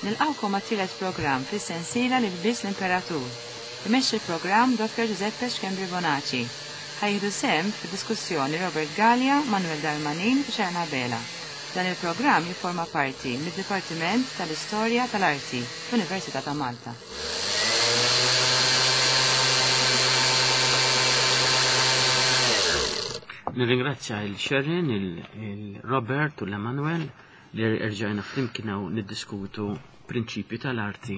Nilqgħukom għat-tielet programm fis-sensiela L-Ilbies l-Imperatur. Imexxi l-programm Dottor Giuseppe Schembri Bonaci. Ħa jieħdu sehem fid-diskussjoni Robert Galea, Manuel Darmanin u Sharon Abela. Dan il-programm jifforma parti mid-Dipartiment tal-Istorja tal-Arti fl-Università ta' Malta. Nirringrazzja il Sharon, il-Robert u l-Emanuel li rġajna flimkien hawn niddiskutu prinċipji tal-arti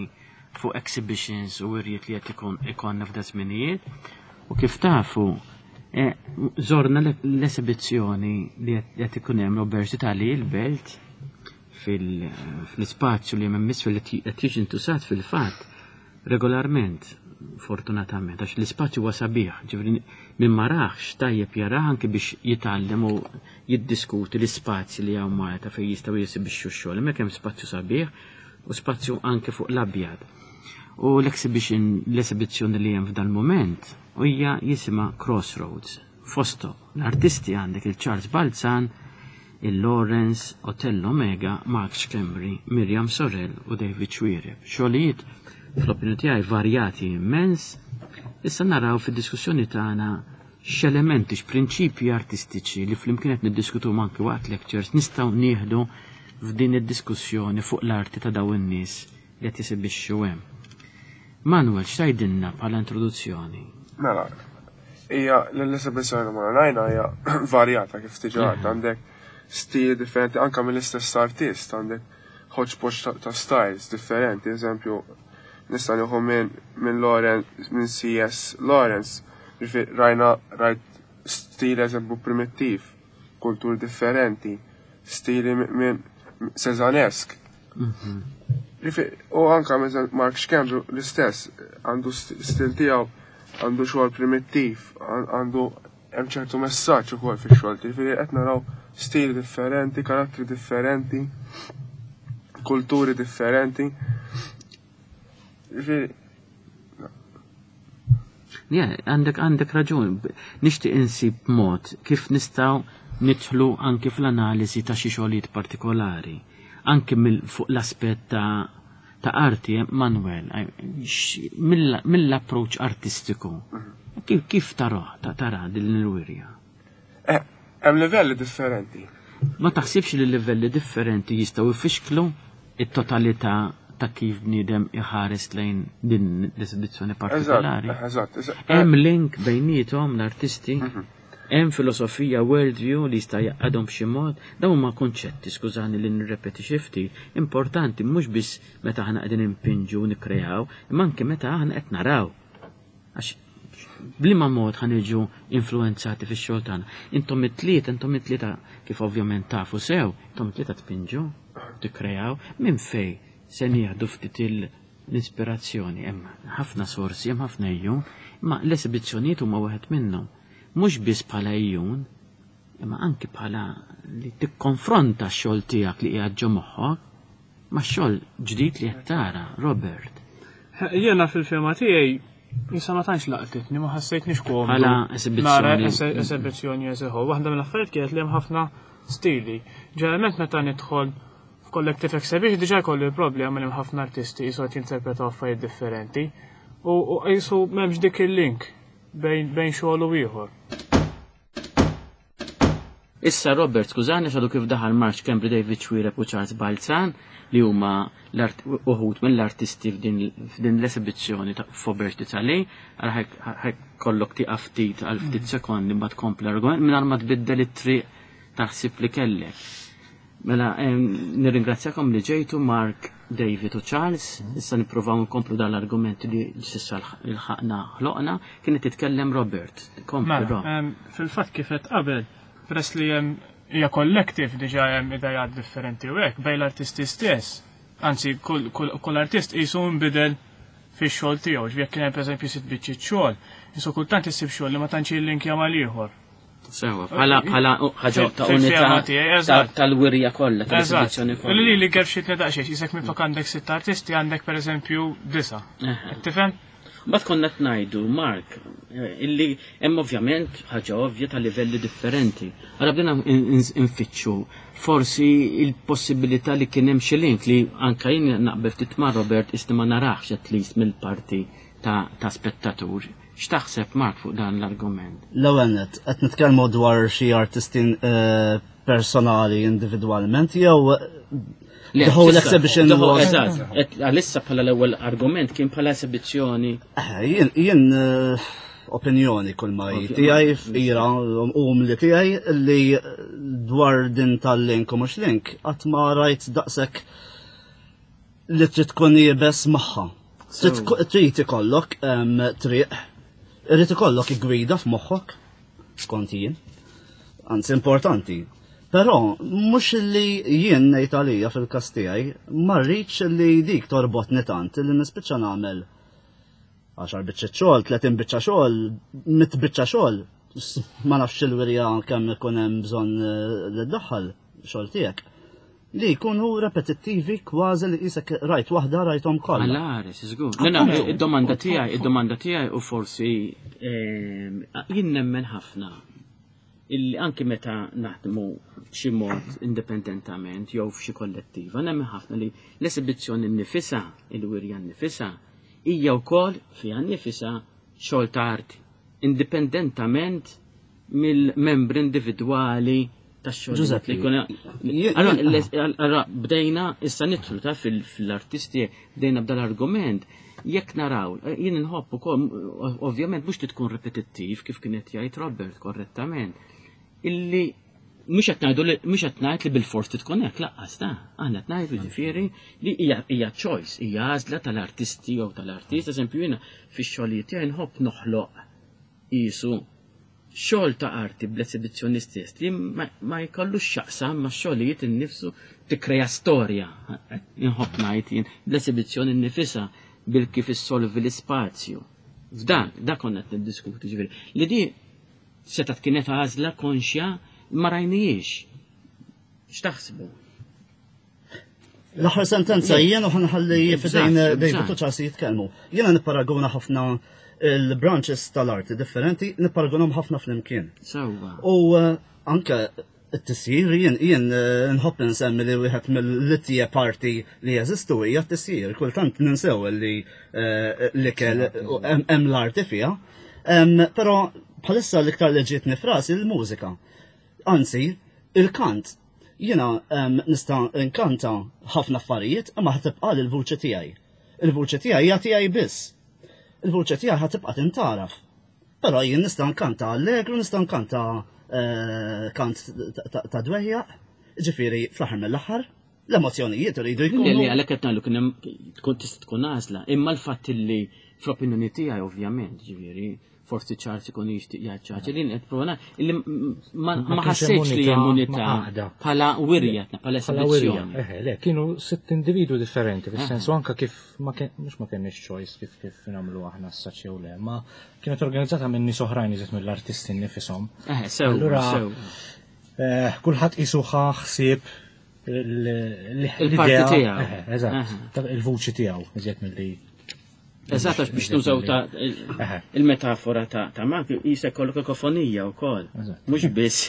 fuq exhibitions u wirjiet li qed ikun ikonna f'da żminijiet. U kif tafu, eh, żorna l-esibizzjoni li qed ikun hemm Robert Vitali il-Belt fil-ispazju li hemm isfel li qed jiġi ntusat fil-fatt regolarment, fortunatament, għax l-ispazju huwa sabiħ, ġifieri min ma raħx tajjeb jarah anke biex jitgħallem u jiddiskuti l-ispazji li hawn Malta fejn jistgħu jesibixxu x-xogħol. Hemmhekk hemm spazju sabiħ u spazju anke fuq l-abjad. U l-exhibition, l-esibizzjoni li hemm f'dan mument hija jisimha Crossroads. Fosthom l-artisti għandek il-Charles Balzan, il-Lawrence, Otello Mega, Mark Schembri, Miriam Sorel u David Xuereb. Xogħlijiet fl-opinjoni tiegħi varjati immens. Issa naraw fid-diskussjoni tagħna x'elementi, x'prinċipji artistiċi li flimkien qed niddiskutu anke waqt lectures nistgħu nieħdu f'din id-diskussjoni fuq l-arti ta' dawn in-nies li qed jesibixxu hemm. Manuel, x'tgħidilna bħala introduzzjoni? Mela, hija l-esibizzjoni ma rajna hija varjata kif diġà għedt għandek stili differenti anke mill-istess artist għandek hodgepodge ta' styles differenti, eżempju nista' nieħu minn minn Lawrence minn CS Lawrence, ġifieri rajna rajt stil eżempju primittiv, kultur differenti, stili minn Cézannesque. U anka Mark Schembri l-istess, għandu stil tiegħu, għandu xogħol primittiv, għandu hemm ċertu messaġġ ukoll fix-xogħol, ġifieri qed naraw stili differenti, karattri differenti, kulturi differenti. Ġifieri għandek għandek raġun. Nixtieq insib mod kif nistgħu nidħlu anki fl-analiżi ta' xi xogħlijiet partikolari. Anki fuq l-aspett ta' ta' arti, Manuel, mill-approach artistiku. Kif, kif taraħ, ta' tara din il-wirja? Eh, hemm livelli differenti. Ma taħsibx li livelli differenti jistgħu jfixklu it-totalità ta' kif bniedem iħares lejn din l-esibizzjoni partikolari? Eżatt, eżatt. Hemm link bejniethom l-artisti, hemm filosofija worldview li jista' jaqadhom b'xi mod, dawn huma kunċetti, skużani li nirrepeti xi ftit, importanti mhux biss meta aħna qegħdin impinġu u nikkreaw, imma anke meta aħna qed naraw. Għax b'liema mod ħa niġu influenzati fix-xogħol tagħna. Intom it-tlieta, intom it-tlieta kif ovvjament tafu sew, intom it-tlieta tpinġu, tikkreaw, minn fej se nieħdu ftit l-ispirazzjoni. Hemm ħafna sorsi, hemm ħafna ejjun, imma l-esibizzjonijiet huma wieħed minnhom. Mhux biss bħala ejjun, imma anki bħala li tikkonfronta x-xogħol tiegħek li qiegħed ġo moħħok ma' xogħol ġdid li qed tara, Robert. Jiena fil-fehma tiegħi Issa ma tantx laqtitni, ma ħassejtniex komdu. Bħala esibizzjoni. Esibizzjoni as a whole. Waħda mill-affarijiet kienet li hemm ħafna stili. Ġeneralment meta nidħol f'collective exhibition diġà jkollu l-problema li hemm ħafna artisti jisu qed jinterpretaw affarijiet differenti. U jisu m'hemmx dik il-link bejn xogħol u ieħor. Issa Robert, skużani xadu kif daħal Mark Schembri, David Xuereb u Charles Balzan li huma uħud mill-artisti f'din l-esibizzjoni ta' Faubourg d'Italie, għal kollok tieqaf ftit għal ftit sekondi mbagħad tkompli l-argument mingħajr ma tbiddel it-triq taħsib li kellek. Mela, nirringrazzjakom li ġejtu Mark, David u Charles. Issa nippruvaw nkomplu dan l-argument li s'issa l-ħaqna ħloqna. Kienet titkellem Robert. Kompli, Mela, Rob. fil-fatt kif qed qabel, peress li hemm hija collective diġà hemm idejat differenti u hekk bejn l-artisti stess. Anzi, kull, kull, kull artist qisu nbidel fix-xogħol tiegħu. Ġifieri jekk kien hemm pereżempju sitt biċċiet xogħol, qisu kultant issib xogħol li ma tantx jillinkja mal-ieħor. Sewa, bħala bħala ħaġa ta' unità tal-wirja kollha, tal-esibizzjoni kollha. Li li kif xi tnedaq xejn, isek minflok għandek sitt artisti għandek pereżempju disa. Tifhem? Mbagħad konna qed ngħidu, Mark, illi hemm ovvjament ħaġa ovvja ta' livelli differenti. Allora bdejna nfittxu forsi il-possibilità li kien hemm xi link li anka jien naqbel ftit ma' Robert isni ma narax at least mill-parti ta', ta spettatur. X'taħseb Mark fuq dan l-argument? L-ewwel nett, qed nitkellmu dwar xi artisti eh, personali individwalment jew the whole exhibition was. Eżatt, għalissa bħala l-ewwel argument kien bħala esibizzjoni. Eh, jien eh, opinjoni kull ma tiegħi fqira u li tiegħi li dwar din tal-link u mhux link qatt ma rajt daqshekk li trid tkun iebes magħha. Trid ikollok triq, irid ikollok gwida f'moħħok, skont jien. Anzi importanti. Però mhux li jien ngħid għalija fil-każ tiegħi, ma rridx li dik torbotni tant li nispiċċa nagħmel 10 biċċa xogħol, 30 biċċa xogħol, 100 biċċa xogħol, ma nafx il-wirja kemm ikun hemm bżonn eh, li ddaħħal xogħol tiegħek li jkunu repetittivi kważi li qisek rajt waħda rajthom kollha. Għal-għares, żgur. Id-domanda tiegħi, id-domanda tiegħi u forsi ehm, jien nemmen ħafna illi anki meta naħdmu b'xi mod indipendentament jew f'xi kollettiva, nemmen ħafna li l-esibizzjoni nnifisha, il-wirja nnifisha, hija wkoll fiha nnifisha xogħol ta' arti, indipendentament mill-membri individwali tax-xogħol. Giuseppe, li jkun Allora bdejna issa nidħlu ta' fil-artisti bdejna b'dal-argument jekk naraw, eh, jien inħobb ukoll ovvjament mhux li tkun repetittiv kif kien qed jgħid Robert korrettament, illi mhux qed ngħidu li mhux qed ngħid li bil-fors tkun hekk laqqas ta' aħna qed ngħidu ġifieri li hija hija choice, hija għażla tal-artisti jew tal-artist, eżempju jiena fix-xogħlijiet tiegħi nħobb noħloq qisu xogħol ta' arti bl-esibizzjoni stess li ma jkollux x'jaqsam max-xogħlijiet innifsu tikkrea storja, inħobb ngħid jien, bl-esibizzjoni nnifisha bil-kif issolvi l-ispazju. F'dan, dak konna qed niddiskutu ġifieri. Li di setgħet kienet għażla konxja ma rajnijiex. X'taħsbu? L-aħħar sentenza jien u ħanħalli fidejn David u Charles jitkellmu. Jiena nipparaguna ħafna il-branches tal-arti differenti, nipparagunhom ħafna flimkien. Sewwa. U eh, anke t-tisjir jien jien eh, nħobb nsemmi li wieħed mill-littije parti li jeżistu hija t-tisjir. Kultant ninsew li eh, l-ikel hemm l-arti fiha. Però bħalissa l-iktar li ġietni frasi l-mużika. Anzi, il-kant. Jiena nista' nkanta ħafna affarijiet imma ħa tibqa' l-vuċi tiegħi. Il-vuċi tiegħi hija tiegħi biss. Il-vuċi tiegħi ħa tibqa' tintgħaraf. Però jien nista' nkanta allegru, nista' nkanta eh, kant ta' dwejjaq, ġifieri fl-aħħar mill-aħħar l-emozzjonijiet iridu jkunu. Le, għalhekk qed ngħidu kien hemm tkun tista' tkun għażla, imma l-fatt li fl-opinjoni tiegħi ovvjament, ġifieri, forsi Charles ikun jixtieq jgħid xi ħaġa li qed prova illi ma ħassejtx li hemm unità bħala wirja bħala esibizzjoni. Eħe, le, kienu sitt individwi differenti, fis-sensu anka kif ma mhux ma kenniex choice kif kif nagħmlu aħna s-saċ jew le, ma kienet organizzata minn nies oħrajn iżjed mill-artisti nifishom. Eħe, sew. Allura eh, kulħadd qisu ħa ħsieb il-parti tiegħu. Eżatt, il-vuċi tiegħu iżjed milli Eżatt, għax biex nużaw ta' il-metafora ta' Mark, jisa kollok kakofonija u koll. Mux biss.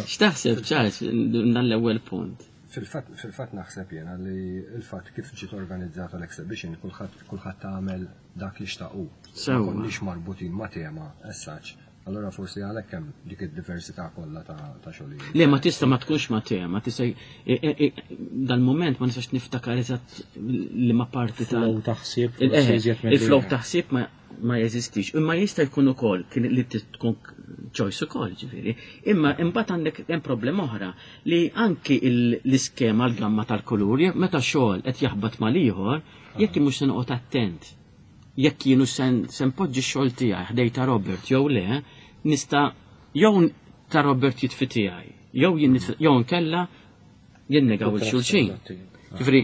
X'taħseb, Charles, dan l-ewwel punt? Fil-fatt naħseb jena li il-fatt kif ġiet organizzata l-exhibition, kulħadd kulħadd għamel dak li xtaqu. Sewwa. Ma konniex marbutin ma' tema, as such. Allura forsi għalhekk hemm dik id-diversità kollha ta' xogħlijiet. Le ma tista' ma tkunx ma tema, tista' dal-mument ma nistax niftakar eżatt li ma parti ta' flow ta' ħsieb. Il-flow ta' ħsieb ma jeżistix. Imma jista' jkun ukoll kien li tkun choice ukoll ġifieri. Imma imbagħad għandek hemm problema oħra li anki l-iskema l-gamma tal-kulur meta xogħol qed jaħbat mal-ieħor, jekk mhux se noqgħod attent jekk jien hux se npoġġi x-xogħol tiegħi ħdej ta' Robert jew le, nista' jew ta' Robert jitfi tiegħi, jew jien jew nkella jinnegaw il-xulxin. Ġifieri,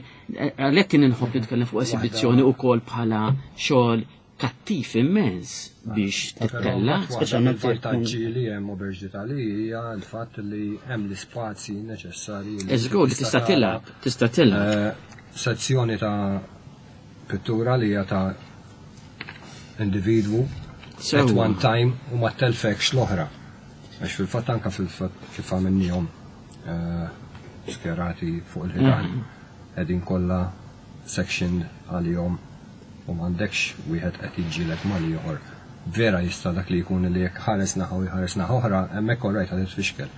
għalhekk kien inħobb nitkellem fuq esibizzjoni wkoll bħala xogħol kattiv immens biex tittella. Speċjalment vantaġġi li hemm Auberge d'Italie hija l-fatt li hemm l-ispazji neċessarji. Żgur li tista' tilgħab, tista' tilgħab. Eh, sezzjoni ta' pittura li hija ta' individwu at one time u ma telfekx l-oħra. Għax fil-fatt anka fil-fatt kif għamilnihom eh, skjerati fuq il-ħitan qegħdin kollha section għalihom u m'għandekx wieħed qed jiġġieled mal-ieħor. Vera jista' dak li jkun li jekk ħares naħa u jħares naħa oħra, hemmhekk all right ħa titfixkel.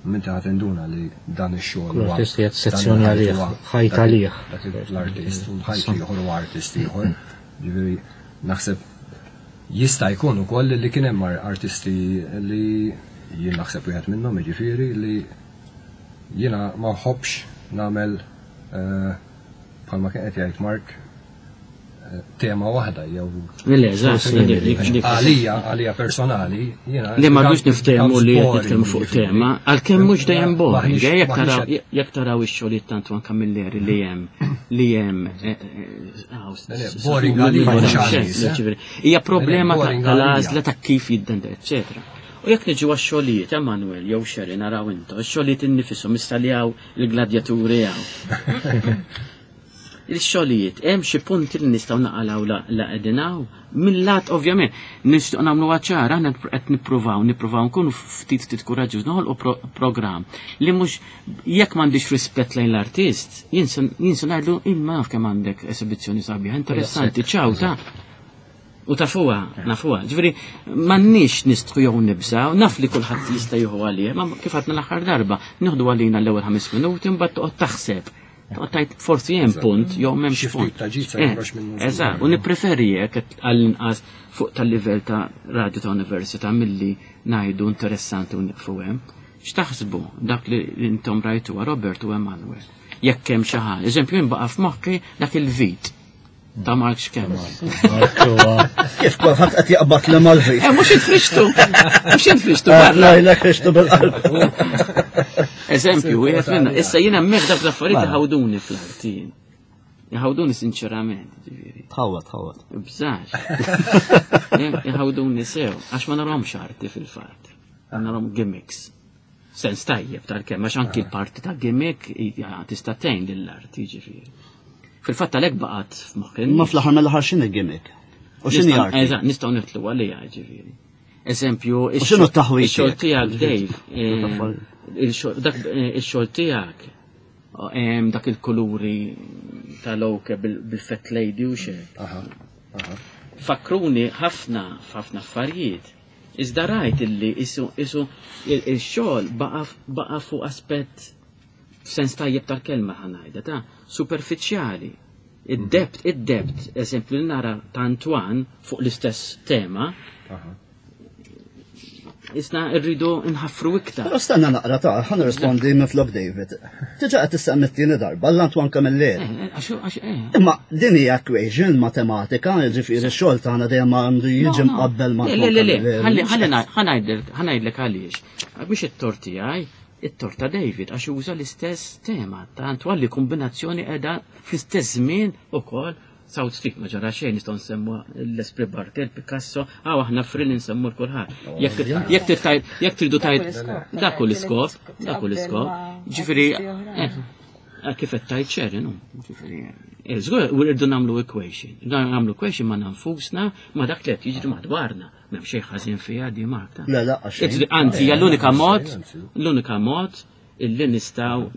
Imma inti ħa tinduna li dan ix-xogħol Kull artist qiegħed sezzjoni għalih, ħajt għalih. Dak l-artist u l-ħajt ieħor u artist ieħor. Ġifieri naħseb jista' jkun ukoll li kien hemm artisti li jien naħseb wieħed minnhom jiġifieri li jiena ma nħobbx nagħmel eh, bħalma kien qed jgħid Mark eh, tema waħda jew Le, eżatt, għalija, għalija personali, jiena. Li ma rridux niftehmu li qed nitkellmu fuq tema, għalkemm mhux dejjem boring, eh, jekk taraw ix-xogħlijiet ta' Antoine Camilleri li hemm li hemm eh, boring għalija. Hija problema tal-għażla ta' kif jiddenda, eċċetera. U jekk niġu għax-xogħlijiet, Emanuel jew Sherry naraw intom, ix-xogħlijiet innifisom issa li hawn il-gladjaturi hawn. Il-xogħlijiet hemm xi punti li nistgħu naqalgħu la qegħdin hawn. Mill-lat ovvjament nixtieq nagħmlu ċara aħna qed nippruvaw nippruvaw nkunu ftit ftit kuraġġuż noħolqu programm li mhux jekk m'għandix rispett lejn l-artist, jien se ngħidlu imma naf kemm għandek esibizzjoni sabiħa, interessanti, ċaw ta' U tafuha, nafuha. Ġifieri m'għandniex nistħu jew nibżgħu, naf li kulħadd jista' jieħu għalih, ma kif għadna l-aħħar darba, nieħdu għalina l-ewwel ħames minuti mbagħad toqgħod taħseb. Toqgħod tgħid forsi hemm punt jew m'hemmx punt. Eh, eżatt, u nippreferi hekk għall-inqas fuq tal-livell ta' radio ta' università milli ngħidu interessanti u nieqfu hemm. X'taħsbu dak li intom rajtuha Robert u Emanuel? Jekk hemm xi ħaġa. Eżempju, jinbaqa' f'moħħi dak il-vit Ta' Mark Xkemm. Kif kulħadd qed jaqbad li mal-vit. Eh, mhux infrixtu. Mhux infrixtu. Eh, la, frixtu bil-qalb. Eżempju, wieħed minna. Issa jiena hemmhekk dak l-affarijiet mela. iħawduni fl-arti. Iħawduni sinċerament, ġifieri. Tħawad, tħawad. Bżax. Eh, iħawduni sew, għax ma narhomx arti fil-fatt. Narhom gimmicks. Sens tajjeb tal-kemm, għax anki l-parti ta' gimmick tista' tgħin lill-arti, ġifieri. Fil-fatt għalhekk baqgħet f'moħħi. Ma fl-aħħar mill-aħħar x'inhi gimmick? U x'inhi arti? Eżatt, nistgħu nitlu għalija, ġifieri. Eżempju, x'inhu t-taħwit? Ix-xogħol tiegħek Dave, eh, eh, ix-xogħol tiegħek dak il-kuluri tal-oke bil-fat lady u xek. Fakruni ħafna f'ħafna affarijiet. Iżda rajt illi isu isu il-xogħol baqa' fuq aspett f'sens tajjeb tal-kelma ħa ngħidha ta' superfiċjali. Id-debt, id-debt, eżempju li nara ta' Antoine fuq l-istess tema, Isna rridu nħaffru iktar. Però stenna naqra ta' ħa nirrispondi minn flok David. Diġà qed tissemmi t-tieni darba l-Antoine Camilleri. Eh, eh, eh. Imma din hija equation matematika, jiġifieri x-xogħol tagħna dejjem għandu jiġi mqabbel ma' Le, le, le, ħa ngħidlek għaliex. Biex it-tort tiegħi, it-tort ta' David għax uża l-istess tema ta' Antoine li kombinazzjoni qiegħda fl-istess żmien ukoll South Street ma ġara xejn nistgħu nsemmu l-Esprit Bartel, Picasso, għaw aħna fril nsemmu l-kulħadd. Jekk tridu tajt dak hu l-iskop, dak hu l-iskop. Ġifieri eh, eh, kif qed tajt xejn, no? Ġifieri eh, żgur u rridu nagħmlu equation. Nagħmlu equation ma' nfusna ma' dak li qed jiġri madwarna. M'hemm xejn ħażin fiha di Marta. Le, la, xejn. Anzi, hija l-unika mod, l-unika mod illi nistgħu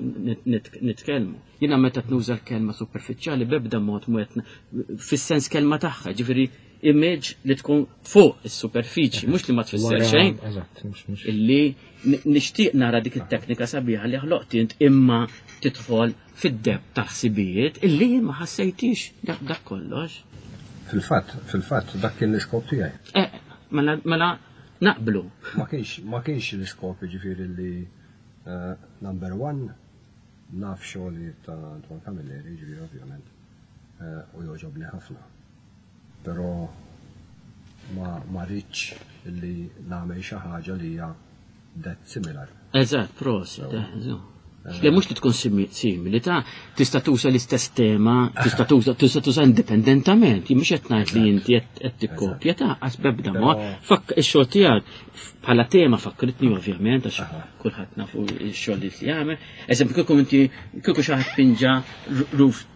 nitkellmu. Jiena meta tnuża l-kelma superfiċjali b'ebda mod mu qed fis-sens kelma tagħha, ġifieri image li tkun fuq is-superfiċi, mhux li ma tfisser xejn. Illi nixtieq nara dik it-teknika sabiħa li ħloqt int imma tidħol fid-deb ta' ħsibijiet illi ma ħassejtix dak kollox. Fil-fatt, fil-fatt, dak kien l-iskop tiegħi. Eh, mela, mela naqblu. Ma kienx, ma kienx l-iskop ġifieri li eh, number one Naf xogħlijiet ta' Antoine Camilleri, jiġifieri ovvjament, u jogħġobni ħafna. Però ma ma ridtx li nagħmel xi ħaġa li hija that similar. Eżatt, prosit, eh, Le mhux li tkun simili ta' tista' tuża l-istess tema, tista' tuża tista' tuża indipendentament, jien mhux qed ngħid li inti qed tikkopja ta' qas b'ebda mod. Fakk ix-xogħol tiegħek bħala tema fakkritni ovvjament għax kulħadd nafu x-xogħol li jagħmel. Eżempju kieku inti kieku xi ħadd pinġa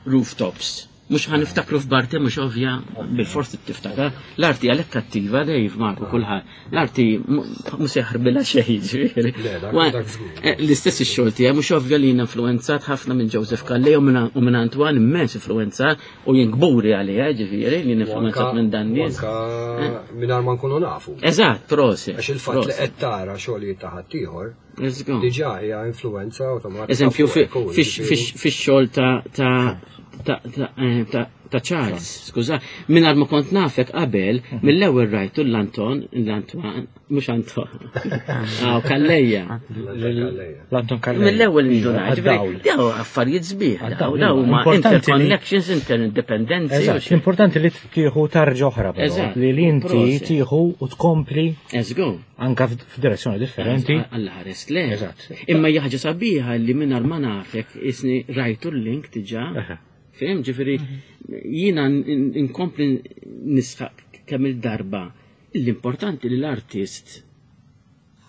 rooftops. Mhux ħa niftakru f'Barte mhux ovvja, bil-forsi tiftakar. L-arti għalhekk kattiva Dave Marku kulħadd. L-arti mhux se jaħrbilha xejn ġifieri. Eh, l-istess ix-xogħol tiegħi mhux ovvja li jien influenzat ħafna minn Joseph Calleja u minn Antoine immens influenzat u jien kburi għaliha ġifieri li influenzat minn dan nies. Eh. Mingħajr ma nkunu nafu. Eżatt, prosi. Għax il-fatt li qed tara xogħlijiet ta' ħaddieħor Diġà hija influenza awtomatika. Eżempju, fix-xogħol ta' eh, ta' Charles, skuża, mingħajr ma kont nafek qabel, mhm. mill-ewwel rajtu l-Anton, l-Antoine, mhux Anton. Aw Kalleja. L-Anton Kalleja. Mill-ewwel indunajt. Daw affarijiet sbieħ, daw daw huma interconnections, interdependenzi. L-importanti li tieħu tarġa oħra, li inti tieħu u tkompli. Eżgu. Anka f'direzzjoni differenti. Alla ħares le. Eżatt. Imma hija ħaġa sabiħa li mingħajr ma nafek isni rajtu l-link diġà. Fim, ġifieri jiena nkompli nisħaq kemm il-darba l-importanti li l-artist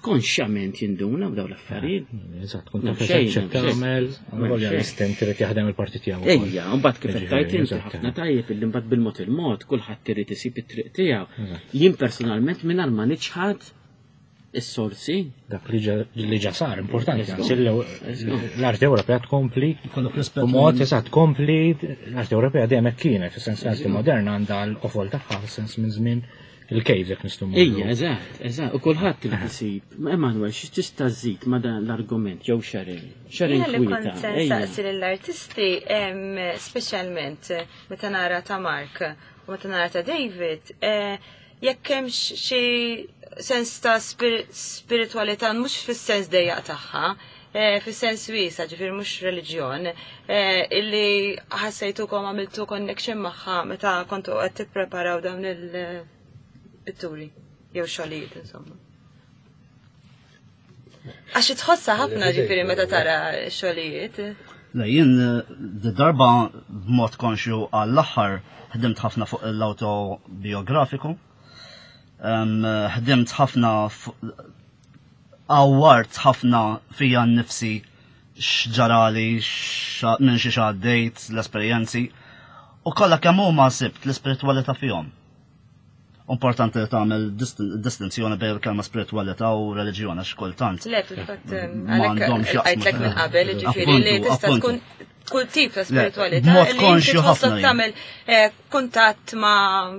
konxjament jinduna b'daw l-affarijiet. Eżatt, kun taf xejn tagħmel, volja l-istent irid jaħdem il-parti tiegħu. Ejja, mbagħad kif qed tgħid inti ħafna tajjeb illi mbagħad bil-mod il-mod kulħadd irid isib it-triq tiegħu. Jien personalment mingħajr ma niċħad is-sorsi. Dak li ġa sar importanti, anzi l-arti Ewropea tkompli b'mod eżatt tkompli l-arti Ewropea dejjem hekk kienet, fis-sens l-arti moderna għandha l-qofol tagħha fis-sens minn żmien il-cave jekk nistgħu Ejja, eżatt, eżatt, u kulħadd irid isib. Emanuel, xi tista' żżid ma' dan l-argument jew Sharon? Sharon Li kont se nsaqsi lill-artisti, speċjalment meta nara ta' Mark u meta nara ta' David, eh, jekk hemmx xi sens ta' spiritualità mhux fis-sens dejjaq tagħha, eh, fis-sens wiesa, ġifier mhux reliġjon, eh, illi ħassejtukom għamiltu connection magħha meta kontu qed tippreparaw dawn il-pitturi jew xogħlijiet insomma. Għax tħossa ħafna ġifieri meta tara xogħlijiet. Le, jien eh, darba b'mod konxju għall-aħħar ħdimt ħafna fuq l-autobiografiku. Ħdimt ħafna għawwart ħafna fija nnifsi x'ġarali, minn xi għaddejt, l-esperjenzi. U kollha kemm huma sibt l-ispiritwalità fihom. Importanti li tagħmel distinzjoni bejn il-kelma spiritualità u reliġjon għax kultant. Le, fil-fatt m'għandhomx għajtlek minn qabel, ġifieri li tista' tkun kull tip ta' spiritualità. Mod konxju ħafna. Tagħmel eh, kuntatt ma'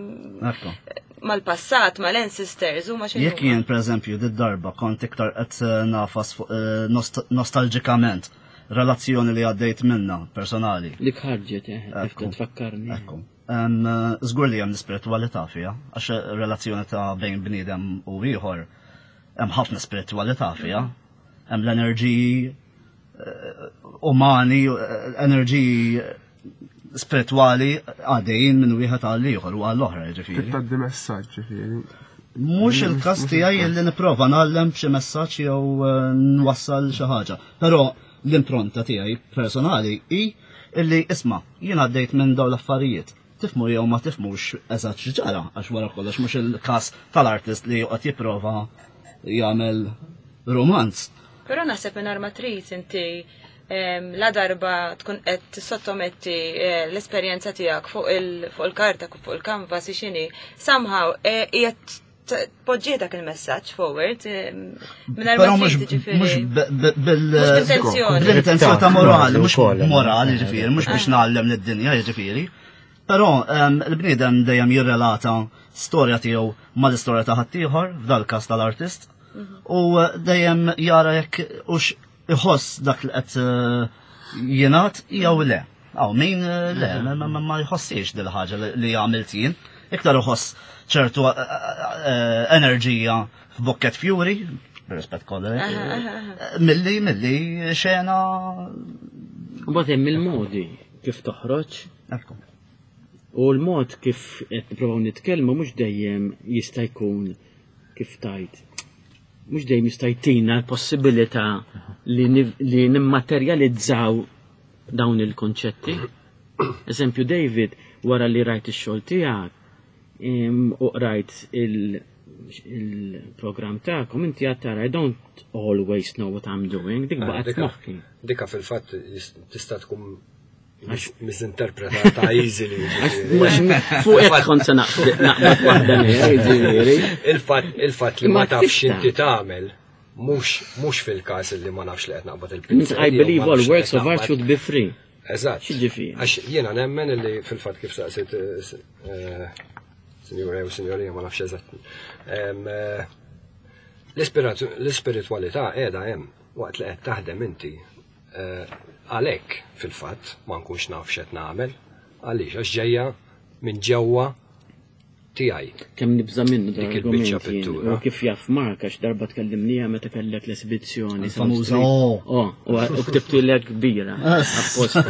mal-passat, mal-ancestors, u ma xejn. Jekk jien pereżempju did-darba kont iktar qed eh, nafas fuq eh, nostalġikament relazzjoni li għaddejt minna personali. Dik ħarġet, tfakkarni. Ekku. Żgur li hemm l-ispiritwalità fiha, għax relazzjoni ta' bejn bniedem u ieħor hemm ħafna spiritwalità fiha. Hemm l-enerġiji eh, umani, eh, enerġiji spiritwali għaddejjin minn wieħed għal ieħor u għall oħra ġifieri. Tgħaddi messaġġ ġifieri. Mhux il-każ tiegħi li nipprova ngħallem b'xi messaġġ jew eh, nwassal xi ħaġa. Però l-impronta tiegħi personali hi illi isma' jien għaddejt minn dawn l-affarijiet. Tifhmu jew ma tifhmux eżatt x'ġara, għax wara kollox mhux il-każ tal-artist li joqgħod jipprova jagħmel romanz. Però naħseb mingħajr ma trid inti la darba tkun qed tissottometti eh, l-esperjenza tiegħek fuq il-karta, fuq il-kanvas x'inhi, somehow eh, qiegħed tpoġġi dak il-messaġġ forward eh, mingħajr ma mhux bil-intenzjoni ta' morali, mhux morali ġifieri, mhux biex ah. ngħallem lid-dinja ġifieri. Però ehm, il-bniedem dejjem jirrelata storja tiegħu mal-istorja ta' ħaddieħor, f'dal-każ tal-artist, mhm. u eh, dejjem jara jekk hux iħoss dak li qed eh, jingħad jew le. Aw, min eh, le, ma jħossiex dil ħaġa li għamilt jien. Iktar iħoss ċertu eh, eh, enerġija f'Bucket Fury, rispett kollu, milli milli xena. Mbagħad hemm il-modi kif toħroġ. U l-mod kif qed nippruvaw nitkellmu mhux dejjem jista' jkun kif tajt mhux dejjem jista' jtina l-possibilità li nimmaterjalizzaw dawn il-konċetti. Eżempju David, wara li rajt ix-xogħol tiegħek u qrajt il-programm tagħkom, inti għad tara I don't always know what I'm doing, dik ah, baqgħet moħħi. Dika fil-fatt tista' tkun Misinterpretata easily. Fuq hekk kont se naqbad waħda jiġifieri. Il-fatt li ma tafx inti tagħmel mhux fil-każ li ma nafx li qed naqbad il-pinzel. I believe all works of art should be free. Eżatt. X'ġifieri? Għax jiena nemmen li fil-fatt kif saqsit eh, sinjura jew sinjorija ma nafx eżatt. Eh, l-ispiritwalità qiegħda hemm waqt li qed taħdem inti eh, għalhekk fil-fatt ma nkunx naf x'qed nagħmel għaliex għax ġejja minn ġewwa tiegħi. Kemm nibża' minnu dik il-biċċa pittura. U kif jaf Mark għax darba tkellimnija meta kellek l-esibizzjoni. Famuża oh. Oh, u ktibtilek kbira. Apposta.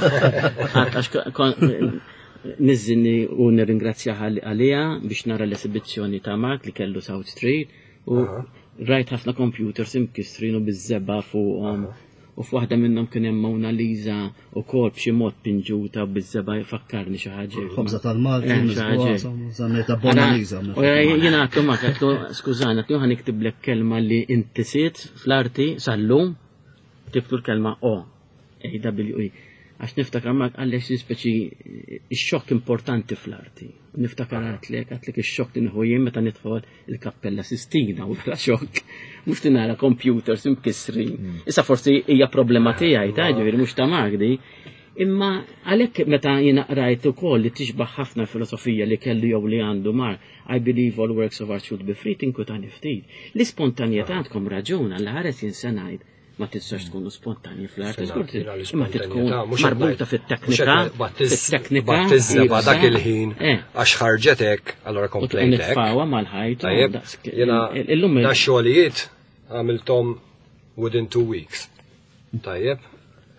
Għax niżżinni u nirringrazzjaha għaliha biex nara l-esibizzjoni ta' Mark li kellu South Street u rajt ħafna computers imkissrin u biż-żebgħa fuqhom. U f'waħda minnhom kien hemm Mona Lisa ukoll b'xi mod pinġuta biż-żebgħa jfakkarni xi ħaġa. Ħobża tal-Malti, eh, żammejta Mona Lisa. U jiena għattu ma għatlu skużani, għatlu ħa niktiblek kelma li inti siet fl-arti sal-lum, ktibtu l-kelma O. AWE. Għax niftakar ma għallex speċi ix-xokk importanti fl-arti. Niftakar għatlek, għatlek ix-xokk li nħu jien meta nidħol il-Kappella Sistina u bla xokk. Mhux li nara computers imkissrin. Mm. Issa forsi hija problema tiegħi ta' ġifieri mhux ta' Magdi. Imma għalhekk meta jiena qrajt ukoll li tixbaħ ħafna filosofija li kellu jew li għandu mar, I believe all works of art should be free, tinkwitani ftit. L-ispontanjetà għandkom raġun għal ħares jien se ngħid ma tistax tkunu spontanji fl-arti, imma tkun marbuta fit-teknika, fit-teknika. Battizzeba dak il-ħin, eh. għax ħarġetek, allora komplejtek. Nitfawa mal-ħajt. Tajjeb, jena, da xogħlijiet għamiltom within two weeks. Tajjeb,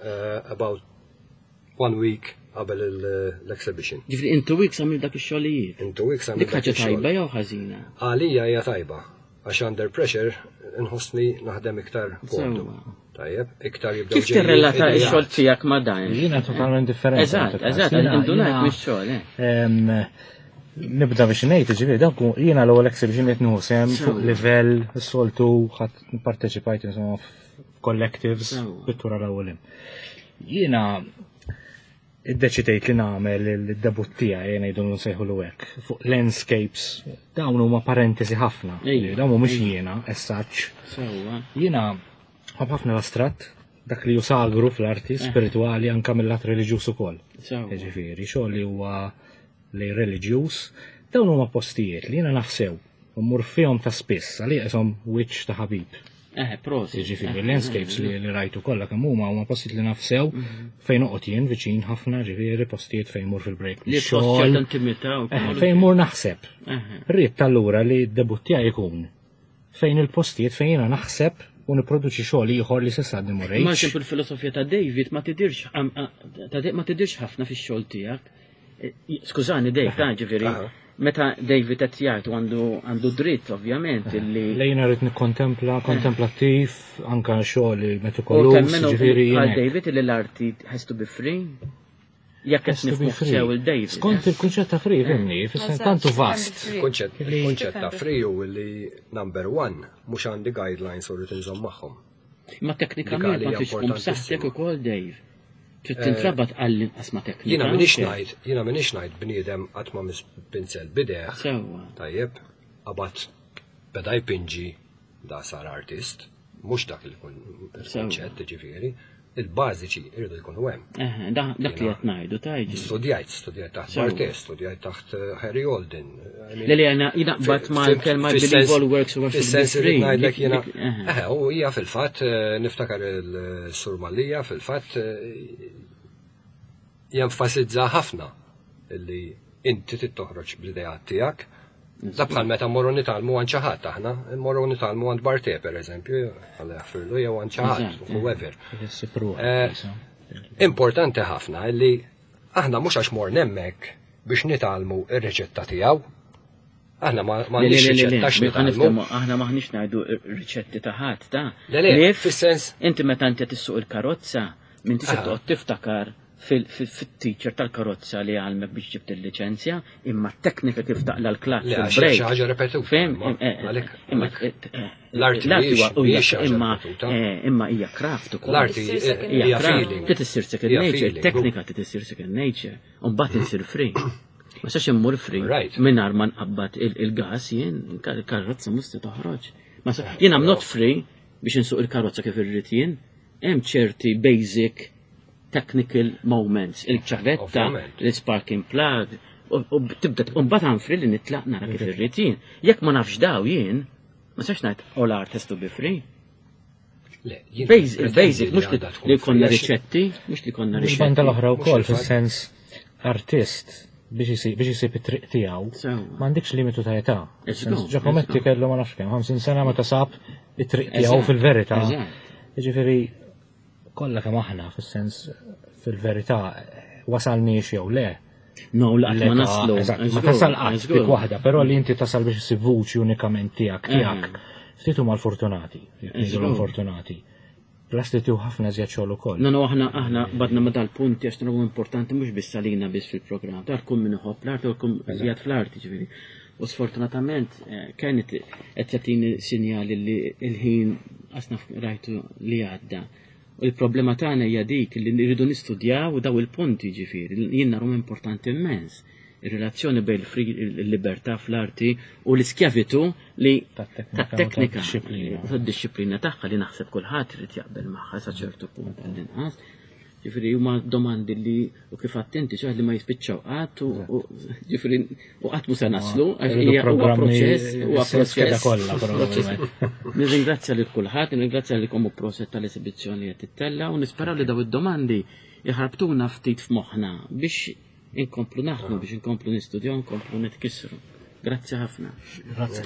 eh, about one week qabel l-exhibition. Ġifri, in two weeks għamil dak ix-xogħlijiet. In two weeks għamil dak ix-xogħlijiet. Dik ħaġa tajba jew ħażina? Għalija hija tajba, għax under pressure nħossni naħdem iktar komdu. Tajjeb, iktar jibdew. Kif tirrelata x-xogħol tiegħek ma' dan? Jiena totalment differenti. Eżatt, eżatt, indunajt mix-xogħol. Eh. Nibda biex ngħid, ġifieri dawk jiena l-ewwel exhibition qed nieħu sehem fuq livell soltu ħadd parteċipajt insomma f'collectives pittura l-ewwel. Jiena iddeċidejt li nagħmel il-debut tiegħi jien ngħidu nsejħulu hekk fuq landscapes dawn huma parentesi ħafna. Dawn mhumiex jiena as such. Jiena ħobb ħafna l-astratt dak li jusagru fl-arti eh. spirituali anka mill-lat reliġjuż ukoll. Ġifieri, xogħol li huwa li reliġjuż, dawn huma postijiet li jiena naf sew u mmur fihom ta' spiss għalija qishom wiċċ ta' ħabib. Eh, prosit. Jiġifieri landscapes li, li rajtu kollha kemm huma huma postijiet li naf sew mhm. fejn noqgħod jien viċin ħafna ġifieri postijiet fejn mur fil-break. Li xogħol intimità eh, fejn mur naħseb. Rrid allura li d-debut tiegħi jkun fejn il-postijiet fejn jiena naħseb u nipproduċi xogħol ieħor li s'issa għadni ma rejtx. Ma xempju l-filosofija ta' David ma tidirx ma tidirx ħafna fix-xogħol tiegħek. Eh, skużani Dave, ta' ġifieri. Meta David qed jgħid għandu għandu dritt ovvjament illi. Lejna rrid nikkontempla, kontemplattiv, anka xogħol metikoluż, ġifieri. Għal David illi l-arti has to be free. Jekk qed nifhmu sew il-David. Skont il-kunċett ta' free, fimni, fis tantu vast. Il-kunċett ta' free u li number one mhux għandi guidelines u rrid inżomm magħhom. Ma teknikament ma tridx tkun b'saħħtek ukoll Dave. Trid eh, tintrabat għall-inqas ma teknika. Jiena m'iniex ngħid, jiena m'iniex ngħid bniedem qatt ma mis pinzel bideh. Sewwa. Tajjeb, qabad beda jpinġi da sar artist, mhux dak il-kunċett ġifieri, il-bażiċi jridu jkunu hemm. Dak li qed ngħidu tajġi. Studjajt, studjajt taħt Barthes, studjajt taħt eh, Harry Olden. Le li għana jinaqbad ma l-kelma believe all works of Fis-sens li ngħidlek jiena. Eh, u hija fil-fatt eh, niftakar il-Sur Malija fil-fatt eh, jenfasizza ħafna li inti trid toħroġ bl-ideat tiegħek. Da bħal meta mmorru nitgħallmu għand xi ħadd aħna, mmorru nitgħallmu għand Barthe pereżempju, Alla jaħfirlu jew għand xi ħadd, whoever. Eh, importanti ħafna li aħna mhux għax morna hemmhekk biex nitgħallmu ir-riċetta tiegħu. Aħna ma m'għandniex riċetta x'nitgħallmu. Aħna m'aħniex ngħidu riċetti ta' ħadd ta' Le, le, fis-sens. Inti meta inti tissuq il-karozza, m'intix qed toqgħod tiftakar. Fit-teacher tal-karozza li għalmek biex ġibt il-liċenzja, imma t-teknika kif taqla l-klaċ. Le, għax xi ħaġa repetuta. Fem, imma l-arti imma imma hija craft ukoll. L-arti hija feeling. Trid issir second nature, teknika trid issir second nature, u mbagħad insir free. Ma sax immur free mingħajr ma nqabbad il-gas jien, il-karozza mhux se toħroġ. Jien I'm not free biex insuq il-karozza kif irrid jien, hemm ċerti basic technical moments, il-ċavetta, l-sparking plug, u tibda mbagħad għanfri li nitlaq nara kif irrid jien. Jekk ma nafx daw jien, ma sax ngħid all art has to be free. Il-basic, mhux li konna riċetti, mhux li konna riċetti. Banda l-oħra wkoll fis-sens artist biex isib it-triq tiegħu, m'għandikx limitu ta' età. Giacometti kellu ma nafx kemm 50 sena meta sab it-triq tiegħu fil-verità. Jiġifieri kollha kemm aħna fis-sens fil-verità wasalniex jew le. No, laqt ma naslu. Ma tasal qatt dik waħda, però li inti tasal biex issib vuċi unikament tiegħek tiegħek. Ftit huma l-fortunati, jekk fortunati. Plus li tieħu ħafna iżjed xogħol ukoll. No, no, aħna aħna badna ma dal-punti għax naraw importanti mhux biss għalina biss fil-programm, dar kull min iħobb l-art u kull qiegħed fl-arti ġifieri. U sfortunatament eh, kienet qed jagħtini sinjali li l-ħin qasna rajtu li għadda. U l-problema tagħna hija dik li nridu nistudjaw daw il-punti ġifieri, jien narhom importanti immens. Ir-relazzjoni bejn il-libertà fl-arti u l-iskjavitu li tat-teknika tad-dixxiplina tagħha li naħseb kulħadd irid jaqbel magħha sa ċertu punt għall-inqas. Ġifieri huma domandi li u kif attenti xi li ma jispiċċaw qatt u ġifieri u qatt mhu se naslu għax hija huwa proċess huwa proċess kollha probabbilment. Nirringrazzja lil kulħadd, nirringrazzja lilkom u proset tal-esibizzjoni qed tittella u nisperaw li daw id-domandi jħarbtuna ftit f'moħħna biex inkomplu naħdmu biex inkomplu nistudjaw, nkomplu nitkissru. Grazzi ħafna. Grazzi.